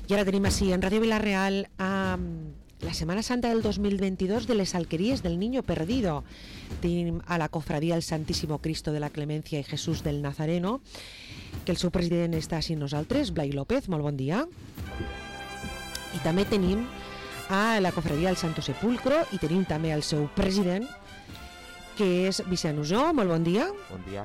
I ara tenim així en Ràdio Vila-real la Setmana Santa del 2022 de les alqueries del Niño Perdido. Tenim a la cofradía el Santísimo Cristo de la Clemencia i Jesús del Nazareno, que el seu president està així nosaltres, Blai López, molt bon dia. I també tenim a la cofradía del Santo Sepulcro i tenim també el seu president, que és Vicent Usó, molt bon dia. Bon dia.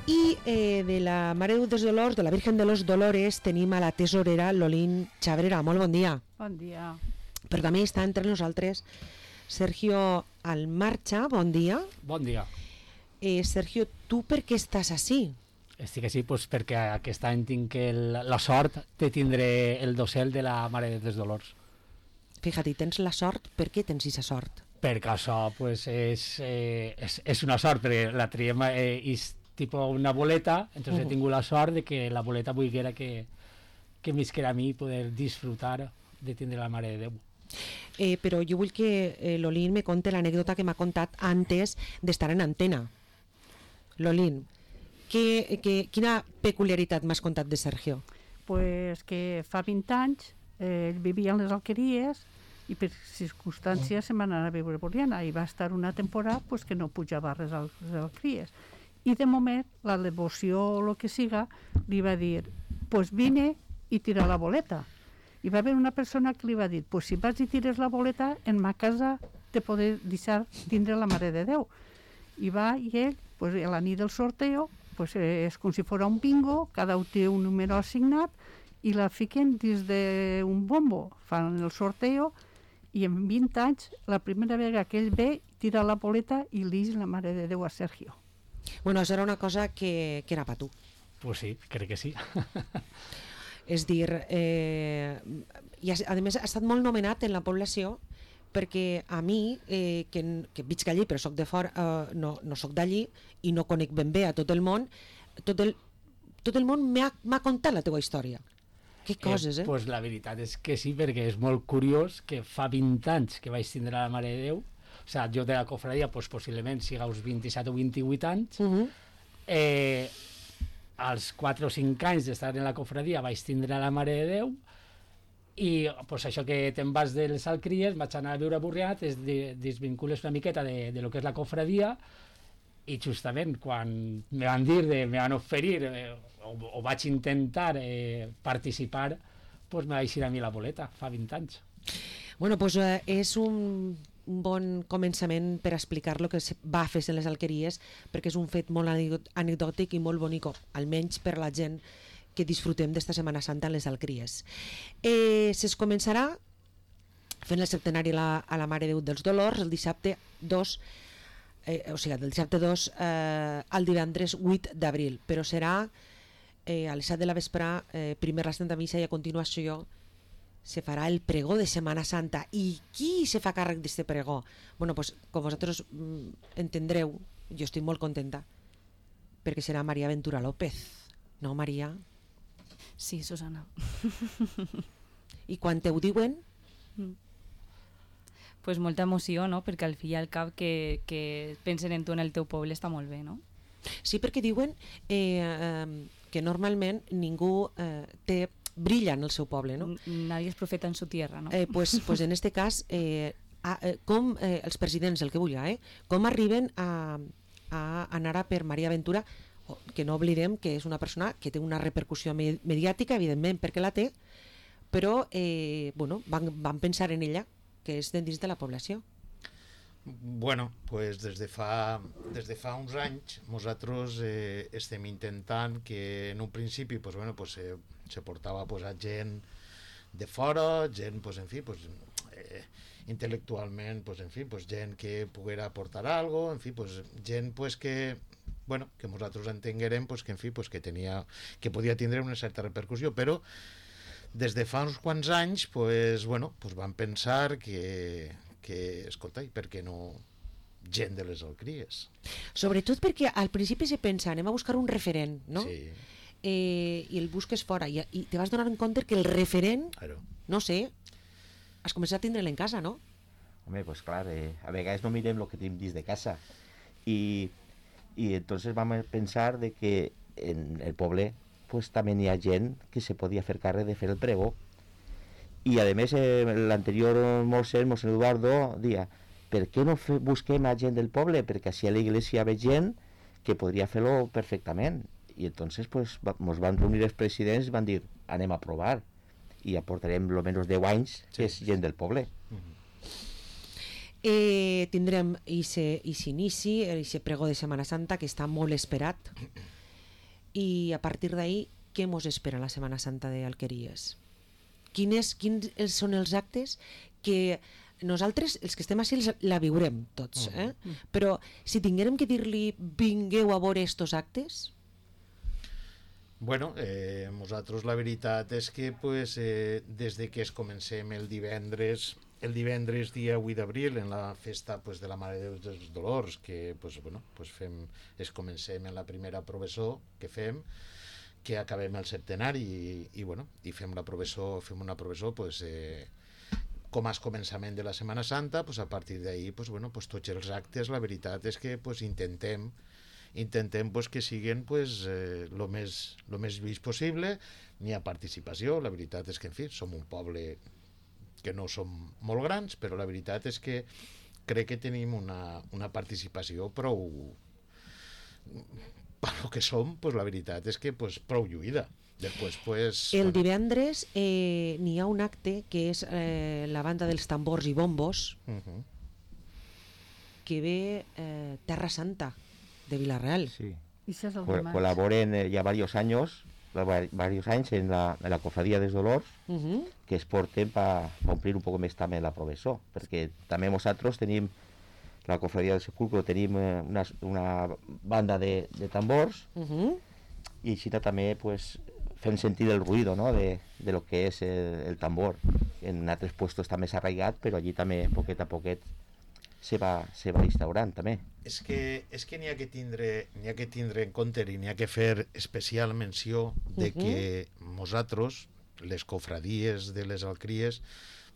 I de la Mare dels Dolors, de la Virgen de los Dolores, tenim a la tesorera Lolín Chabrera, molt bon dia. Bon dia. Però també està entre nosaltres Sergio Almarcha, bon dia. Bon dia. Sergio, tu per què estàs així? Estic així doncs, perquè aquest any tinc la sort de tindre el dossel de la Mare dels Dolors. Fíjate, tens la sort, per què tens aquesta sort? Perquè això pues, és una sort, perquè la triem és tipus una boleta, entonces he tingut la sort de que la boleta volguera que m'isquera a mi poder disfrutar de tindre la Mare de Déu. Però jo vull que Lolín me conte l'anècdota que m'ha contat antes d'estar en antena. Lolín, quina peculiaritat m'has contat de Sergio? Pues que fa 20 anys ell vivia en les alqueries i per circumstàncies se'n va anar a viure a Borriana i va estar una temporada pues, que no pujava res a les alqueries. I de moment la devoció o el que siga li va dir pues vine i tira la boleta. I va haver una persona que li va dir pues si vas i tires la boleta en ma casa te poder deixar tindre la Mare de Déu. I va i ell pues, a la nit del sorteo pues, és com si fos un bingo, cada un té un número assignat i la fiquen dins d'un bombo, fan el sorteo i en 20 anys la primera vegada que ell ve tira la boleta i li diu la Mare de Déu a Sergio. Bueno, això era una cosa que era per tu. Pues sí, crec que sí. És dir, i a més ha estat molt nomenat en la població perquè a mi, que visc allí però soc de fora, no soc d'allí i no conec ben bé a tot el món, tot el món m'ha contat la teva història. Que coses, Pues la veritat és que sí, perquè és molt curiós que fa 20 anys que vaig tindre la Mare de Déu. O sea, jo de la cofradia pues, possiblement siga uns 27 o 28 anys. Als 4 o 5 anys d'estar en la cofradia vaig tindre la Mare de Déu i pues, això que te'n vas dels alqueries vaig anar a viure a Borriana, es desvincules una miqueta de lo que és la cofradia i justament quan me van oferir o vaig intentar participar, pues, me vaig ir a mi la boleta fa 20 anys. Bueno, pues és un bon començament per explicar lo que va fer en les alqueries, perquè és un fet molt anecdòtic i molt bonic, almenys per la gent que disfrutem d'esta Setmana Santa en les alqueries. Es començarà fent el septenari a la Mare de Déu dels Dolors el dissabte 2, o sigui, del dissabte 2 al divendres 8 d'abril, però serà a les 7 de la vesprà, primer la Santa Missa i a continuació se farà el pregó de Setmana Santa. I qui se fa càrrec d'este pregó? Bueno, pues, com vosaltres entendreu, jo estic molt contenta perquè serà Maria Ventura López, no, Maria? Sí, Susana. I quan te ho diuen? Pues molta emoció, no? Perquè al fi i al cap que pensen en tu en el teu poble està molt bé, no? Sí, perquè diuen que normalment ningú brilla en el seu poble, no? Nadie es profeta en su tierra, no? Pues en este cas, com els presidents, el que vulga, com arriben a anar per Maria Ventura, que no oblidem que és una persona que té una repercussió mediàtica, evidentment, perquè la té, però bueno, van pensar en ella, que és dins de la població. Bueno, pues des de fa uns anys nosaltres estem intentant que en un principi pues, bueno, pues, se portava pues, a gent de fora, gent pues, en fi, pues, intel·lectualment pues, en fi, pues, gent que poguera aportar algo, en fi, pues, gent pues, que bueno, que nosaltres entenguérem pues, que en fi, pues, que podia tindre una certa repercussió, però des de fa uns quants anys pues, bueno, pues, van pensar que escolta, i per què no gent de les alqueries? Sobretot perquè al principi se pensa anem a buscar un referent, no? Sí. I el busques fora i te vas donar en compte que el referent, claro, no sé, has començat a tindre'l en casa, no? Home, pues clar, a vegades no mirem el que tenim dins de casa i entonces vam pensar de que en el poble pues també hi ha gent que se podia fer càrrec de fer el pregó I a més l'anterior mossèn Eduardo dia, per què no busquem a gent del poble? Perquè així a l'església hi ha gent que podria fer-lo perfectament. I entonces pues ens van reunir els presidents i van dir, anem a provar. I ja portarem almenys 10 anys que és gent del poble. Tindrem aquest inici, aquest pregó de Setmana Santa que està molt esperat, i a partir d'ahir què mos espera la Setmana Santa d'Alqueries? Quins són els actes que nosaltres, els que estem així, la viurem tots, però si tinguérem que dir-li vingueu a veure estos actes? Bueno, nosaltres la veritat és que pues, des de que es comencem el divendres dia 8 d'abril en la festa pues, de la Mare de Déu dels Dolors, que pues, bueno, pues comencem en la primera professó que fem, que acabem el septenari i bueno, i fem una professó pues, com a començament de la Setmana Santa, pues, a partir d'ahir pues, bueno, pues, tots els actes, la veritat és que pues, intentem pues, que siguin pues, lo més vist possible, n'hi ha participació, la veritat és que en fi, som un poble que no som molt grans, però la veritat és que crec que tenim una participació prou, per lo que som, pues, la veritat és que pues, prou lluïda. Després, pues, el divendres n'hi ha un acte que és la banda dels tambors i bombos que ve Terra Santa de Vila-real. Sí. Colaboren ya varios años en la Cofradía dels Dolors, que es porten per omplir un poc més també la professó, perquè també nosaltres tenim, la Cofradía del Sepulcro, tenim una banda de tambors, i així també pues, fem sentir el ruido, ¿no? de lo que és el tambor. En altres puestos també s'ha arraigat, però allí també poquet a poquet se va instaurant també. És que n'hi ha que tindre en compte i n'hi ha que fer especial menció de que nosaltres, les cofradies de les alcries,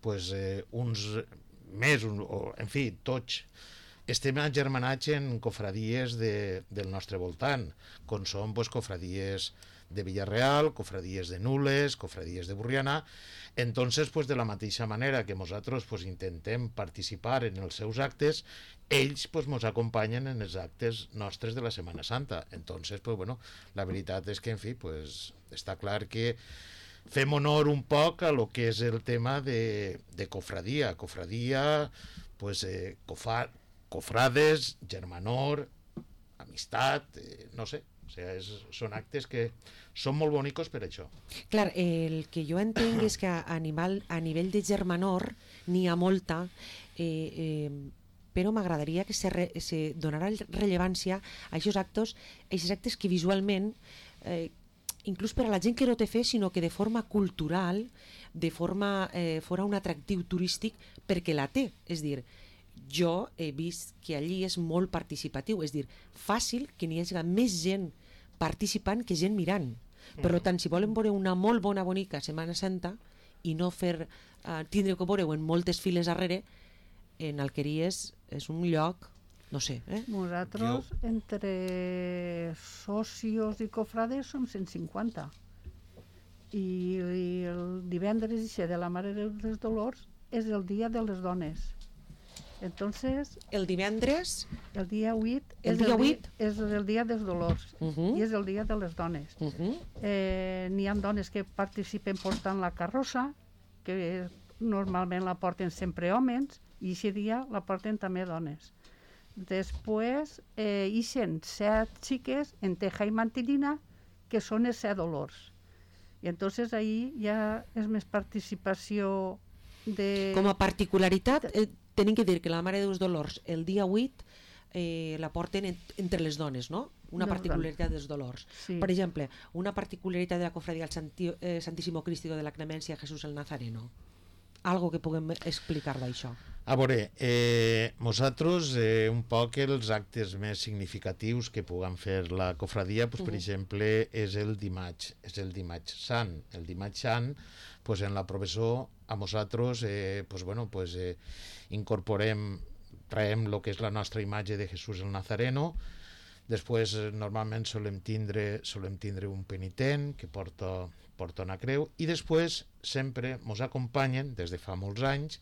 pues, uns més, o, en fi, tots, estem agermanats en cofradies del nostre voltant, com són pues, cofradies de Villarreal, cofradies de Nules, cofradies de Burriana. Entonces, pues, de la mateixa manera que nosaltres pues, intentem participar en els seus actes, ells pues, nos acompanyen en els actes nostres de la Setmana Santa. Entonces, pues, bueno, la veritat és que, en fi, pues, està clar que fem honor un poc a lo que és el tema de cofradia. Cofradia, pues, cofrades, germanor, amistat, no sé, o sigui, són actes que són molt bonicos per això. Clar, el que jo entenc és que a nivell de germanor n'hi ha molta, però m'agradaria que se donara rellevància a aquests actes que visualment, inclús per a la gent que no té fe, sinó que de forma cultural, de forma fora un atractiu turístic perquè la té. És dir, jo he vist que allí és molt participatiu, és dir, fàcil que n'hi hagi més gent participant que gent mirant. Per tant, si volen veure una molt bonica Setmana Santa i no tindre que veure-ho en moltes files darrere, en Alqueries és un lloc, no sé. Nosaltres, entre socios i cofrades, som 150. I el divendres de la Mare de Déu dels Dolors és el dia de les dones. Entonces, el divendres, el dia 8 és el dia dels dolors i és el dia de les dones. N'hi ha dones que participen portant la carrossa, que normalment la porten sempre homes, i aquest dia la porten també dones. Després ixen 7 xiques en teja i mantilina, que són els 7 dolors. I entonces ahí ja és més participació de... Com a particularitat, tenim que dir que la Mare dels Dolors el dia 8 la porten entre les dones, no? Una particularitat dels dolors. Sí. Per exemple, una particularitat de la cofradia del Santíssimo Cristo de la Clemencia Jesús el Nazareno. Algo que puguem explicar d'això. A veure, nosaltres un poc els actes més significatius que puguem fer la cofradia, pues, per exemple, és el dimarts sant. El dimarts sant, pues, en la professó, a nosaltres pues, bueno, pues, traiem el que és la nostra imatge de Jesús el Nazareno. Després normalment solem tindre un penitent que porta porta una creu, i després sempre mos acompanyen, des de fa molts anys,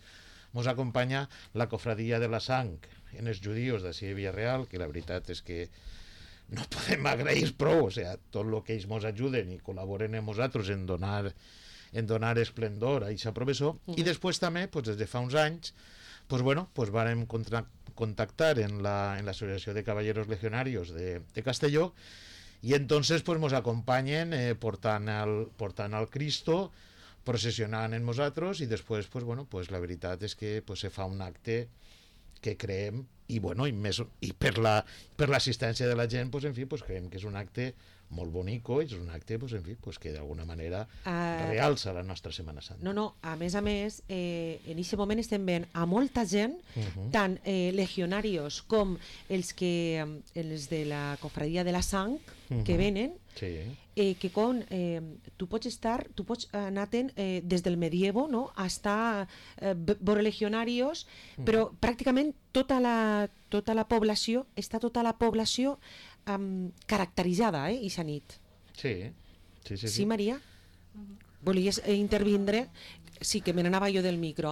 mos acompanya la cofradia de la sang en els judíos d'ací de Villarreal, que la veritat és que no podem agrair prou, o sigui, tot el que ells mos ajuden i col·laboren amb nosaltres en donar esplendor a aquesta professó. I després també, pues, des de fa uns anys, pues, bueno, pues, vàrem contactar en l'Associació de Caballeros Legionarios de Castelló, y entonces pues nos acompanyen portant al Cristo, procesionant en nosaltres, i després pues, bueno, pues, la veritat és que pues, se fa un acte que creem, i bueno, i per l'assistència de la gent, pues, en fi, pues, creiem que és un acte molt bonico, és un acte pues, en fi, pues, que d'alguna manera realça la nostra Setmana Santa. No, a més, en aquest moment estem veient a molta gent, tant legionarios com els de la cofradia de la sang, que venen, sí. Que tu pots anar-te'n des del medievo, no?, hasta veure legionarios, però pràcticament tota la població caracteritzada, ixa nit. Sí. Sí, Maria? Volies intervindre? Sí, que me n'anava jo del micro.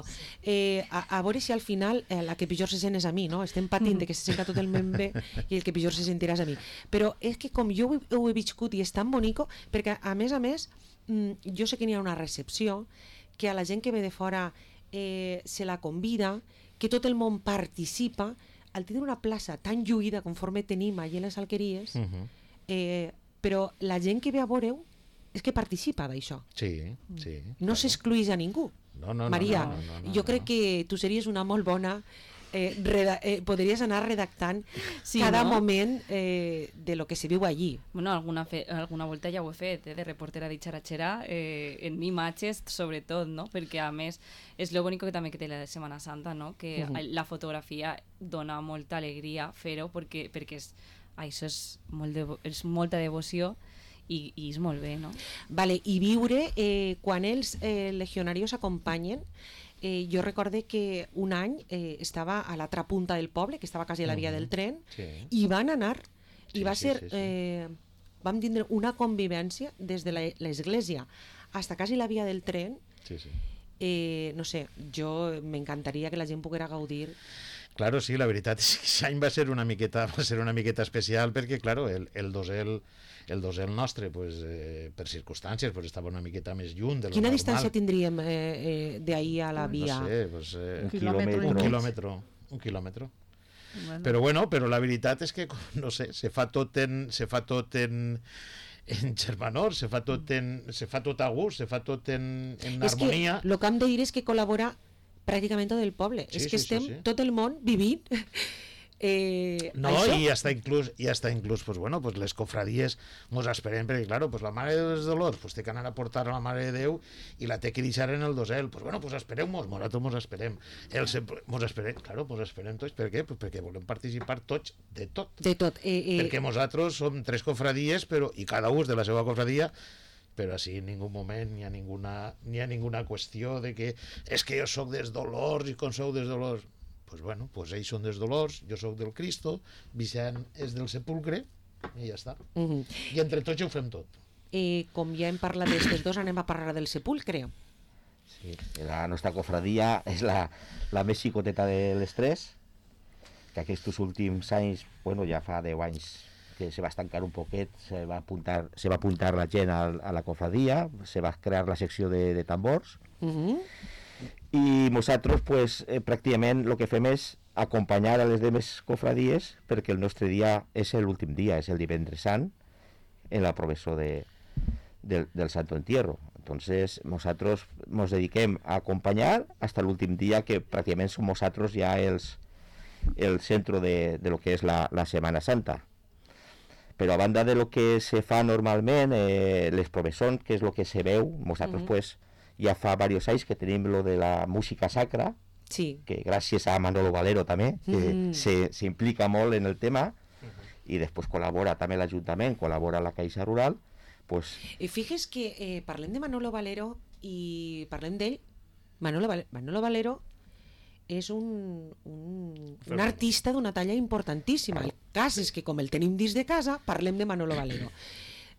A veure si al final la que pitjor se sent és a mi, no? Estem patint de que se senta tot el món bé i el que pitjor se sentirà és a mi. Però és que com jo ho he viscut i és tan bonico, perquè a més, jo sé que n'hi ha una recepció, que a la gent que ve de fora se la convida, que tot el món participa, al tindre una plaça tan lluïda conforme tenim allà a les Alqueries, però la gent que ve a veure-ho és que participa d'això. Sí. No s'excluïs a ningú. No, Maria, no, jo crec que tu series una molt bona... podries anar redactant cada moment de lo que se viu allí. Bueno, alguna volta ja ho he fet, de reportera de xaratxera, en imatges sobretot, no? Perquè a més és lo bonic que també que té la Setmana Santa, no? Que la fotografia dona molta alegria fer-ho, perquè això és molta devoció i és molt bé, no? Vale, i viure quan els legionarios acompanyen. Jo recorde que un any estava a l'altra punta del poble, que estava quasi a la via del tren, i van anar, i va ser... Vam tindre una convivència des de l'església fins quasi la via del tren. No sé, jo m'encantaria que la gent poguera gaudir. Claro, sí, la veritat és que aquest any va ser una miqueta especial, perquè, claro, el dosel nostre, pues, per circumstàncies, pues, estava una miqueta més lluny de lo normal. Quina distància tindríem d'ahir a la via? No sé, pues, un quilòmetre. Bueno. Però la veritat és que, no sé, se fa tot en germanor, se fa tot a gust, se fa tot en harmonia. És que el que hem de dir és que col·labora pràcticament tot el poble. És que estem tot el món vivint no, això. i hasta inclús pues, bueno, pues les cofradies mos esperem, perquè claro, pues la Mare dels Dolors pues, té que anar a portar a la Mare de Déu i la té que deixar en el dosel. Pues bueno, pues espereu-mos, nosaltres mos esperem. Mos esperem tots. Per què? Pues perquè volem participar tots de tot. Perquè nosaltres som 3 cofradies, i cada un de la seva cofradia, però així en ningú moment n'hi ha ninguna qüestió de que és que jo soc dels Dolors i com sou dels Dolors. Pues bueno, pues ells són dels Dolors, jo soc del Cristo, Vicent és del Sepulcre i ja està. I entre tots ho fem tot. Com ja hem parlat d'estes dos, anem a parlar del Sepulcre. Sí, la nostra cofradia és la més xicoteta de les 3, que aquests últims anys, bueno, ja fa 10 anys que se va estancar un poquet, se va apuntar la gent a la cofradia, se va crear la secció de tambors, i nosaltres pues, pràcticament el que fem és acompanyar a les demés cofradies, perquè el nostre dia és l'últim dia, és el divendres sant, en la professó del Santo Entierro. Entonces nosaltres nos dediquem a acompanyar hasta l'últim dia, que pràcticament som nosaltres ja el centre de lo que és la Setmana Santa. Però a banda de lo que se fa normalment, les professons, que és lo que se veu, nosaltres pues, ja fa diversos anys que tenim lo de la música sacra, que gràcies a Manolo Valero també, que s'implica molt en el tema, i després col·labora també l'Ajuntament, col·labora la Caixa Rural. Pues... Fixes que parlem de Manolo Valero i parlem d'ell. Manolo Valero és un artista d'una talla importantíssima. El cas és que com el tenim dins de casa, parlem de Manolo Valero.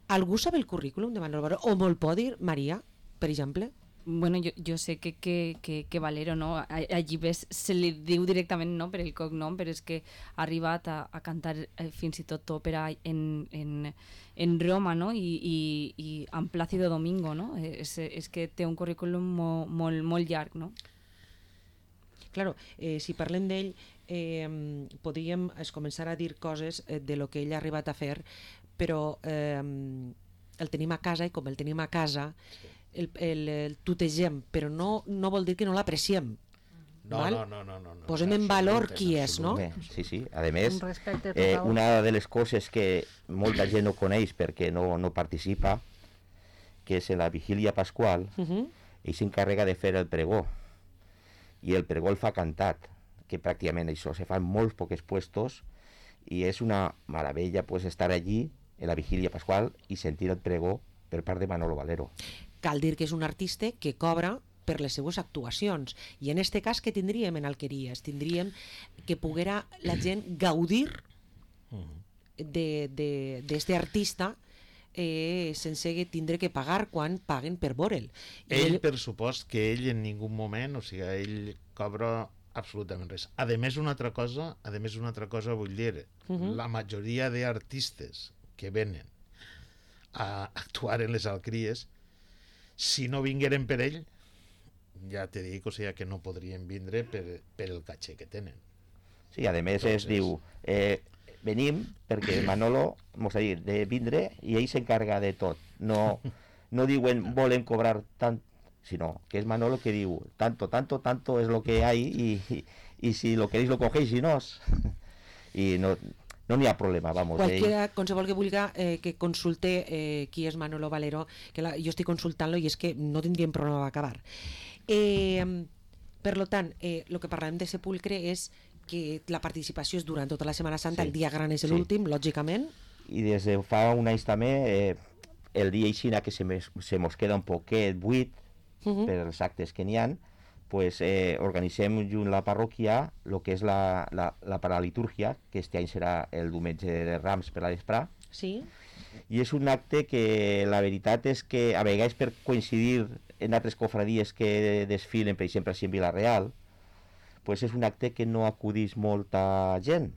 Algú sap el currículum de Manolo Valero? O me'l pot dir Maria, per exemple? Bueno, jo sé que Valero, no? Allí ves, se li diu directament, no?, per el cognom, però és que ha arribat a cantar fins i tot òpera en Roma, no?, i amb Plácido Domingo, no? És que té un currículum molt llarg, no? Claro, si parlem d'ell, podríem començar a dir coses de lo que ell ha arribat a fer, però el tenim a casa, i com el tenim a casa, el tutegem, però no vol dir que no l'apreciem. No. Posem en valor qui és, no? Sí. A més, Un respecte total. una de les coses que molta gent no coneix perquè no participa, que és en la vigília pasqual, ell s'encarrega de fer el pregó, i el pregó el fa cantat, que pràcticament això se fa en molts pocs puestos, i és una meravella pues, estar allí en la vigília pasqual i sentir el pregó per part de Manolo Valero. Cal dir que és un artista que cobra per les seues actuacions, i en este cas que tindríem en Alqueries? Tindríem que poguera la gent gaudir d'este artista sense tindre que pagar quan paguen per veure'l. Ell, per supost, que ell en ningú moment, o sigui, ell cobra absolutament res. A més, una altra cosa vull dir, la majoria d'artistes que venen a actuar en les Alqueries, si no vingueren per ell, ja te dic, o sigui, que no podrien vindre per el caché que tenen. Sí, a més es diu, venim perquè Manolo mos ha dit de vindre i ell s'encarga de tot. No diuen volem cobrar tant, sinó que és Manolo que diu tanto es lo que hay y si lo queréis lo cogéis y no. I no n'hi ha problema, vamos. Qualsevol que vulga que consulte qui és Manolo Valero, que jo estic consultant-lo i és que no tindríem problema d'acabar. Per lo tant, el que parlem de Sepulcre és que la participació és durant tota la Setmana Santa, el dia gran és l'últim, lògicament. I des de fa un any també, el dia aixina que se mos queda un poquet buit per els actes que n'hi ha, pues, organitzem junt la parròquia el que és la paralitúrgia, que este any serà el diumenge de Rams per la vesprà. Sí. I és un acte que la veritat és que a vegades per coincidir en altres cofradies que desfilen, per exemple, així en Vila-real, pues és un acte que no acudís molta gent,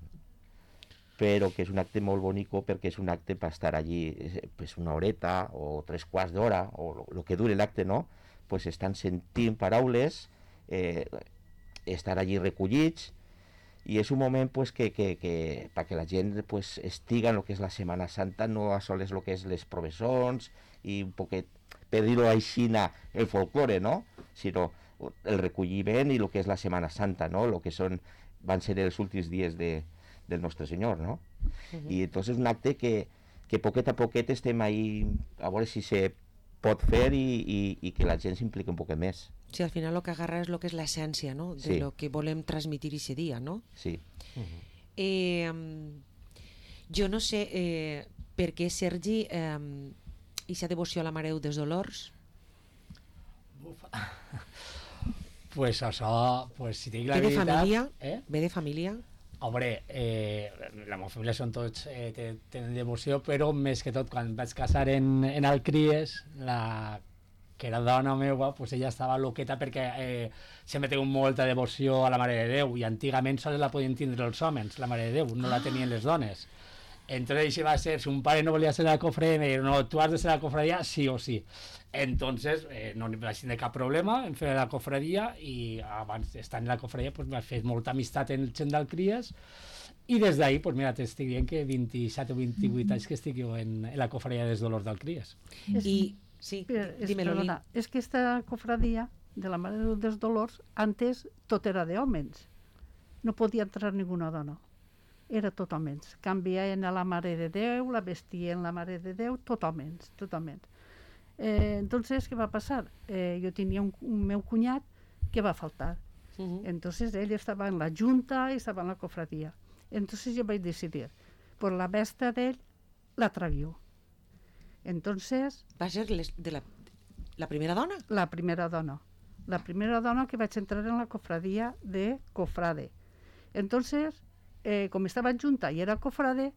però que és un acte molt bonico perquè és un acte per estar allí pues una horeta o 3/4 d'hora, o el que dure l'acte, no? Pues estan sentint paraules, estar allí recollits, i és un moment pues, que perquè la gent pues, estiga en el que és la Setmana Santa, no a soles el que és les professons i un poquet, per dir-ho així, el folklore, no? Sinó el recolliment i el que és la Setmana Santa, no? El que van ser els últims dies del Nostre Senyor, no? I entonces és un acte que poquet a poquet estem ahí a veure si se pot fer i que la gent s'implica un poc més. Sí, al final el que agarra és el que és l'essència, no?, de lo que volem transmitir aquest dia, no? Sí. Jo no sé per què, Sergi, aquesta devoció a la Mare de Déu dels Dolors? Pues això, pues si dic la Ve de veritat... família? Eh? Ve de família? Hombre, la meva família són tots, tenen devoció, però més que tot, quan vaig casar en Alcries, que era dona meva, pues ella estava loqueta perquè sempre té molta devoció a la Mare de Déu, i antigament sols la podien tindre els homes, la Mare de Déu, no la tenien les dones. Entonces això va ser, si un pare no volia ser a la cofradia, me diuen, no, tu has de ser a la cofradia sí o sí. Entonces no vaig tenir cap problema en fer la cofradia, i abans d'estar en la cofradia pues, vaig fer molta amistat en el gent d'Alcries, i des d'ahir, pues mira, t'estic dient que 27 o 28 anys que estic jo en la cofradia dels Dolors d'Alcries. I sí, dímelo, Lili. És que esta cofradia de la Mare de Déu dels Dolors, antes tot era d'hòmens. No podia entrar ninguna dona. Era tot homes. Canviaven a la Mare de Déu, la vestien la Mare de Déu, tot homes, tot homes. Entonces, què va passar? Jo tenia un meu cunyat que va faltar. Entonces, ell estava en la junta i estava en la cofradia. Entonces, jo vaig decidir, por la vesta d'ell, la traguió. Entonces... Va ser la primera dona? La primera dona. La primera dona que vaig entrar en la cofradia de cofrade. Entonces, com estava junta i era cofrade,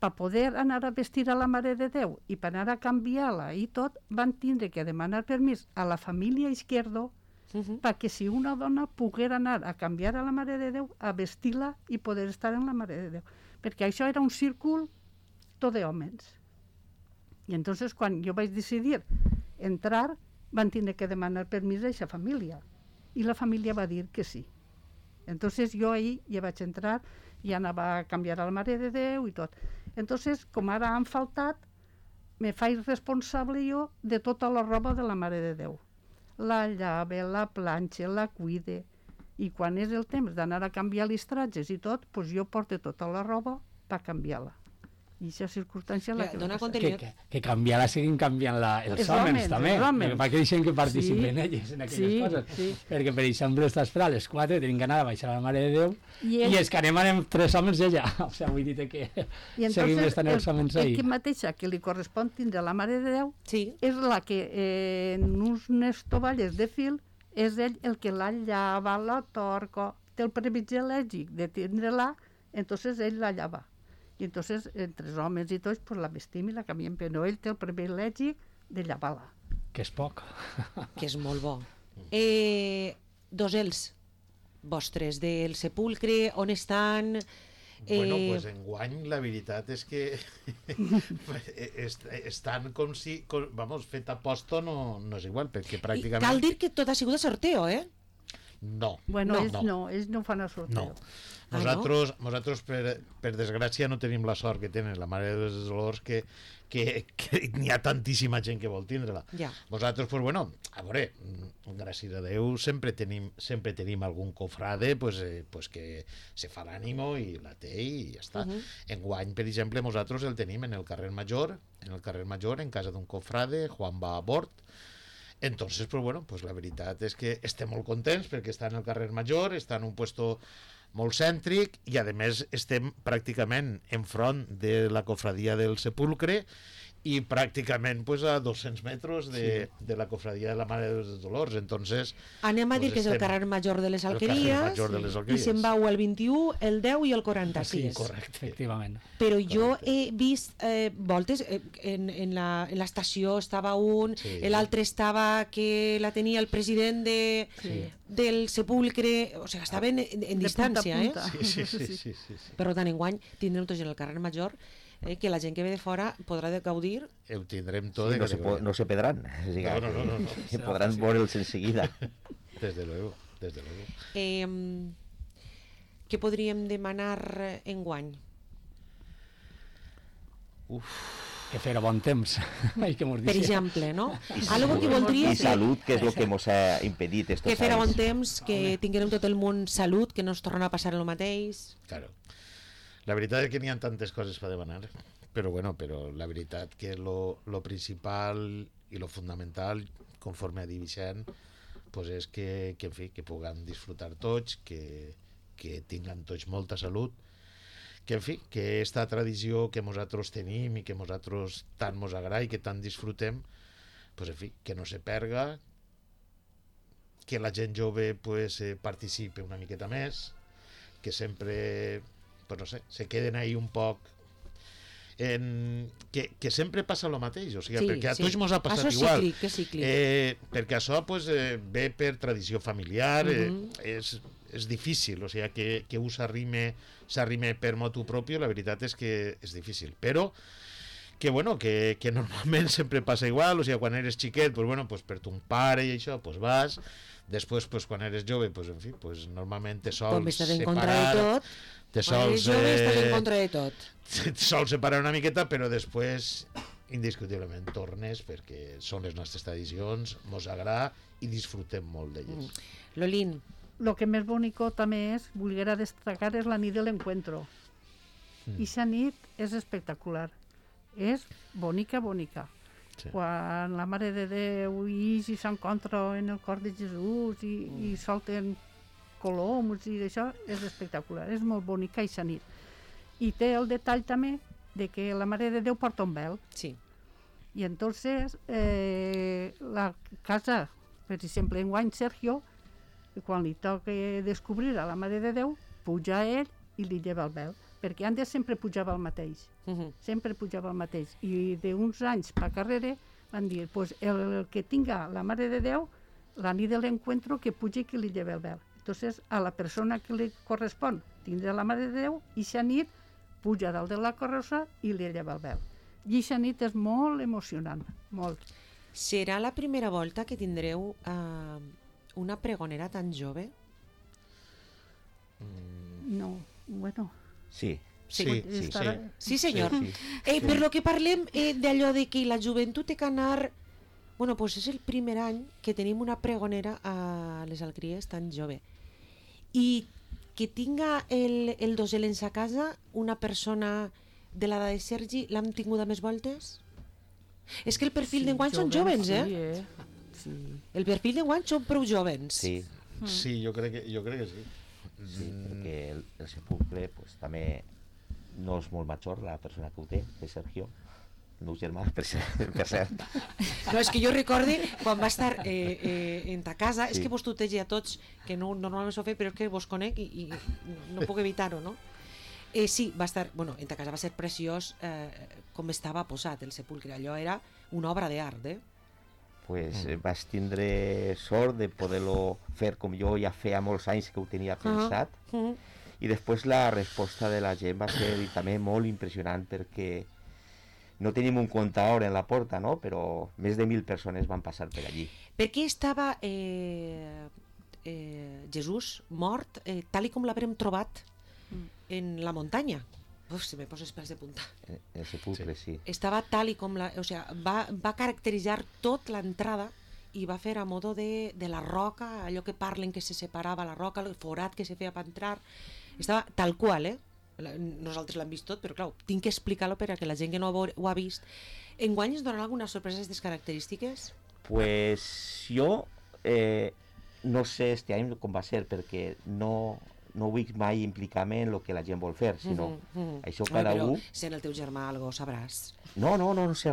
per poder anar a vestir a la Mare de Déu i per anar a canviar-la i tot, van tindre que demanar permís a la família Izquierdo perquè si una dona poguera anar a canviar a la Mare de Déu, a vestir-la i poder estar en la Mare de Déu. Perquè això era un círcul tot d'homes. I entonces quan jo vaig decidir entrar, van tindre que demanar permís a aquesta família. I la família va dir que sí. Entonces jo ahí ja vaig entrar i anava a canviar a la Mare de Déu i tot. Entonces, com ara han faltat, me faig responsable jo de tota la roba de la Mare de Déu. La llave, la planxa, la cuide. I quan és el temps d'anar a canviar les tratges i tot, doncs jo porto tota la roba per canviar-la. I aquesta circumstància la que dona va passar. continuïtat. Que canviar-la seguim canviant els Els homes homes, també, els homes. perquè deixen que participen Sí, elles en aquelles sí, coses. sí. Perquè, per exemple, estàs per a les 4, tenim que anar a baixar a la Mare de Déu I i els que anem 3 homes ella. O sigui, vull dir que I seguim entonces estant els homes el ahí. que mateixa que li correspon tindre a la Mare de Déu Sí. és la que en unes tovalles de fil és ell el que la llava, la torca, té el privilegi de tindre-la, entonces ell la llava. I entonces, entre els homes i tots, pues la vestim i la canviem, però ell té el privilegi de llavar-la. Que és poc. Que és molt bo. Dosels vostres del sepulcre, on estan? Bueno, pues enguany la veritat és que estan com si, vamos, fet a posto no és igual, perquè pràcticament... Cal dir que tot ha sigut a sorteo, eh? No. Bueno, No. ells no fan el sorteo. No. Nosaltres per desgràcia, no tenim la sort que tenen la Mare dels Dolors que n'hi ha tantíssima gent que vol tindre-la. Ja. Vosaltres, pues bueno, a veure, gràcies a Déu, sempre tenim algun cofrade pues que se fa l'ànimo i la té i ja està. Enguany, per exemple, nosaltres el tenim en el carrer Major, en casa d'un cofrade, Juan va a bord. Entonces, pues bueno, pues la veritat és que estem molt contents perquè està en el carrer Major, està en un puesto molt cèntric i a més estem pràcticament enfront de la cofradia del Sepulcre i pràcticament pues, a 200 metres de la cofradia de la Mare dels Dolors. Entonces, Anem a dir pues que és el estem- carrer Major de les el carrer Alqueries, Major de les i Alqueries. se'n va el 21, el 10 i el 46. correcte. Efectivament. Però jo he vist voltes, en l'estació estava un, Sí. l'altre estava que la tenia el president del Sepulcre, o sigui, estaven en distància, punta a punta. Sí. Per tant, enguany tindrem tots en el carrer Major, que la gent que ve de fora podrà gaudir. Ho tindrem tot. Sí, no se pedran. No. Que podran veure'ls enseguida. Desde luego. Què podríem demanar enguany? Que fer bon temps. Ai, que mos Per dice. exemple, no? Algo que voldria I salut, que és el que ens ha impedit estos que fera bon anys. temps, que tinguérem tot el món salut, que no ens tornarà a passar el mateix. Claro. La veritat és que n'hi ha tantes coses per demanar, però la veritat que lo principal i lo fundamental, conforme a Vicent, pues és que en fi, que puguem disfrutar tots, que tinguem tots molta salut, que en fi, que esta tradició que nosaltres tenim i que nosaltres tant mos agrada i que tant disfrutem, pues en fi, que no se perga, que la gent jove pues, participe una miqueta més, que sempre, pues no sé, se queden ahí un poc que sempre passa el mateix, o sigui, Sí, perquè a sí. tots mos ha passat Això és igual. cíclic, és cíclic. Perquè això pues, ve per tradició familiar, és difícil, o sigui, que un s'arrime per motu propi, la veritat és que és difícil, però que, bueno, que normalment sempre passa igual, o sigui, quan eres xiquet, pues, bueno, pues, per ton pare i això, pues, vas, després, pues, quan eres jove, pues, en fi, pues, normalment te sols Com estàs en contra de tot, te quan eres sols, jove estàs en contra de tot. te sols separar una miqueta, però després indiscutiblement tornes perquè són les nostres tradicions, mos agrada i disfrutem molt d'elles. Lolín, Lo que més bonico també és, volguera destacar, és la nit de l'encuentro. I esa nit és espectacular. És bonica. Sí. Quan la Mare de Déu i s'encontra en el cor de Jesús i solten coloms i d'això, és espectacular. És molt bonica esa nit. I té el detall també de que la Mare de Déu porta un vel. sí. Y entonces la casa, per exemple, enguany Sergio, quan li toca descobrir a la Mare de Déu, puja a ell i li lleva el vel. perquè antes sempre pujava el mateix, sempre pujava el mateix, i d'uns anys per carrere van dir, pues el que tinga la Mare de Déu, la nit de l'encuentro, que pugi que li lleve el vel. Entonces, a la persona que li correspon tindrà la Mare de Déu, i aquesta nit puja dalt de la carrossa i li lleva el vel. I aquesta nit és molt emocionant, molt. Serà la primera volta que tindreu una pregonera tan jove? No, bueno... Sí. Sí, senyor. Sí. Per lo que parlem d'allò de que la joventut té que anar... Bueno, doncs és el primer any que tenim una pregonera a les Alcries tan jove. I que tinga el dosel en sa casa una persona de l'edat de Sergi, l'hem tingut a més voltes? És que el perfil d'enguany són jovens, eh? Sí. El perfil d'enguany són prou jovens. Sí, Sí, jo crec que sí. sí, perquè el sepulcre pues, també no és molt major la persona que ho té, que és Sergio, el meu germà, per cert. No, és que jo recorde quan va estar en ta casa, és que vos tutegi a tots, que no, normalment s'ho fe, però és que vos conec i no puc evitar-ho, no? Sí, va estar, bueno, en ta casa va ser preciós com estava posat el sepulcre, allò era una obra d'art, Pues vaig tindre sort de poder-lo fer com jo ja feia molts anys que ho tenia pensat, i després la resposta de la gent va ser també molt impressionant, perquè no tenim un comptador en la porta, no? Però més de 1.000 persones van passar per allí. Per què estava Jesús mort tal i com l'haurem trobat en la muntanya? Uf, se me posa els pèls de punta. El sepulcre, sí. Estava tal i com o sea, va caracteritzar tot l'entrada i va fer a modo de la roca, allò que parlen que se separava la roca, el forat que se feia per entrar. Estava tal qual, nosaltres l'hem vist tot, però clar, tinc que explicar-lo perquè la gent que no ho ha vist. Enguany ens donen alguna sorpresa d'aquestes característiques? Pues jo no sé este any com va ser, perquè no vull mai implicar-me en el que la gent vol fer, sinó això cada però un... sent el teu germà algo sabràs. No sé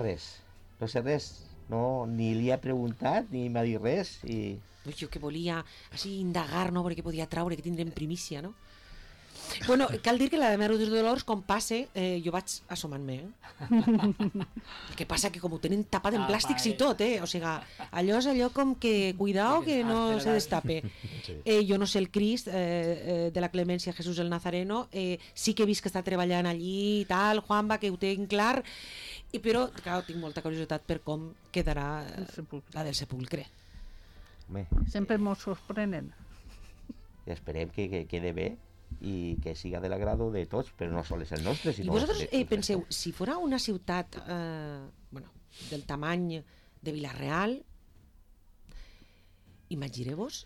res, no, ni li he preguntat ni m'ha dit res i... Jo que volia així indagar, no?, perquè podia traure, que tindrem primícia, no? Bueno, cal dir que la de Mare dels Dolors, com passe, jo vaig assomant-me, El que passa que com ho tenen tapat en plàstics i tot, O sigui, allò és allò com que, cuidao que no se destape. Jo no sé el Crist de la Clemència Jesús el Nazareno, sí que he vist que està treballant allí i tal, Juanba, que ho tinc clar, però, clar, tinc molta curiositat per com quedarà la del sepulcre. Home, Sempre mos sorprenen. esperem que quede bé i que siga de l'agrado de tots, però no sols el nostre, I sinó... vosaltres penseu, si fora una ciutat del tamany de Vila-real, imagineu-vos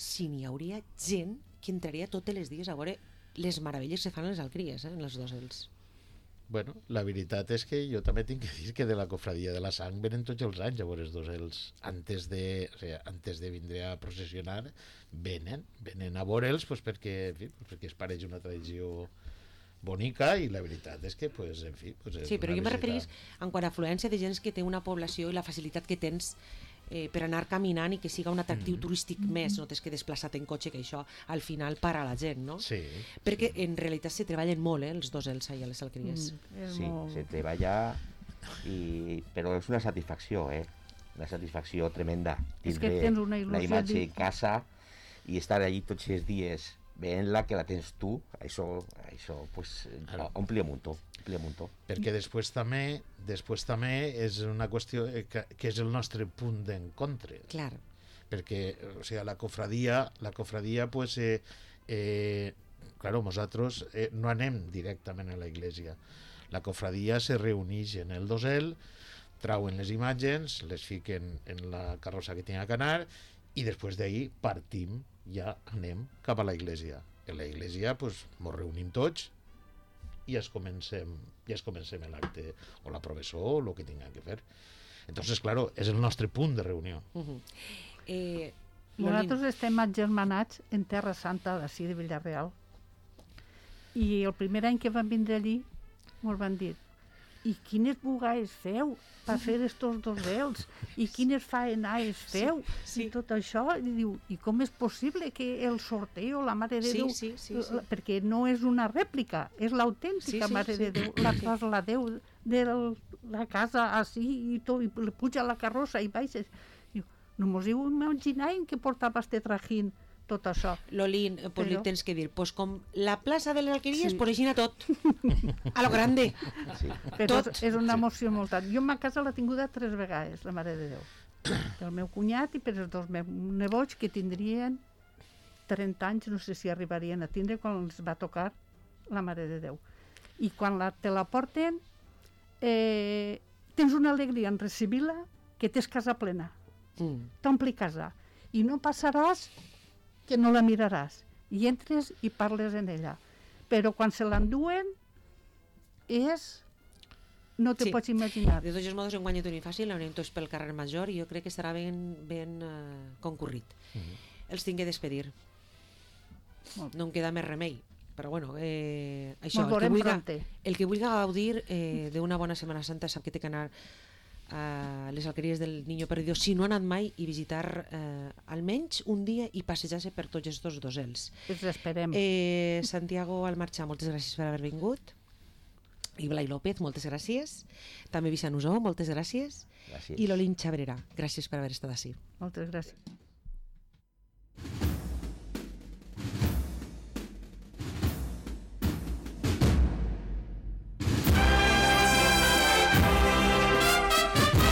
si n'hi hauria gent que entraria tots els dies a veure les meravelles que fan les Alcries, en els dosels. Bueno, la veritat és que jo també tinc que dir que de la cofradia de la sang venen tots els anys a veure els dosels. Antes de vindre a processionar, venen a veure'ls pues, perquè es pareix una tradició bonica i la veritat és que, pues, en fi... Pues, Sí, però jo me referís en quant a afluència de gent que té una població i la facilitat que tens per anar caminant i que siga un atractiu turístic més, no tens que desplaçar-te en cotxe, que això al final para la gent, no? Sí. Perquè en realitat se treballen molt, els dosels allà a les Alcries. Sí, se treballa, però és una satisfacció, una satisfacció tremenda. És que tens una il·lusió la imatge en casa i estar allí tots els dies veient-la, que la tens tu, això pues, ompli un muntó. Perquè després també és una qüestió que és el nostre punt d'encontre. Clar. Perquè, o sigui, la cofradia pues, claro, nosaltres no anem directament a la iglesia. La cofradia se reuneix en el dosel, trauen les imatges, les fiquen en la carrossa que tenen que anar i després d'ahir partim, ja anem cap a la iglesia. En la iglesia pues, ens reunim tots i es comencem l'acte o la professó o el que tinguem que fer. Entonces, claro, és el nostre punt de reunió. Nosaltres estem agermanats en Terra Santa d'ací de Villarreal, i el primer any que vam vindre allí ens van dir i quines bugades feu per fer estos dosels, i quines faenades feu, i tot això, i diu, i com és possible que el sorteo, la Mare de Déu, perquè no és una rèplica, és l'autèntica Mare de Déu, la trasladeu de la casa així, i tot, i puja a la carrossa i baixes. Diu, no mos heu imaginat que portava este trajín, tot això. Lolín, pues li tens que dir, pues com la plaça de les Alqueries, pues així tot. A lo grande. Però és una emoció molt tant. Jo ma casa l'he tinguda 3 vegades, la Mare de Déu. Pel meu cunyat i per els 2 meus nebots que tindrien 30 anys, no sé si arribarien a tindre quan els va tocar la Mare de Déu. I quan te la porten, tens una alegria en recibir-la que tens casa plena. T'ompli casa. I no passaràs que no la miraràs, i entres i parles en ella. Però quan se l'enduen no te pots imaginar. De tots els modos, en guanyat un fàcil, l'anem tots pel carrer Major i jo crec que estarà ben concurrit. Els tinc que despedir. No em queda més remei. Però bueno, això, el que vulgui gaudir d'una bona Setmana Santa sap que té que anar a les Alqueries del Niño Perdido, si no ha anat mai, i visitar almenys un dia i passejar-se per tots aquests dosels. Ens esperem. Santiago Almarcha, moltes gràcies per haver vingut. I Blai López, moltes gràcies. També Vicent Usó, moltes gràcies. I Lolín Xabrera, gràcies per haver estat ací. Moltes gràcies.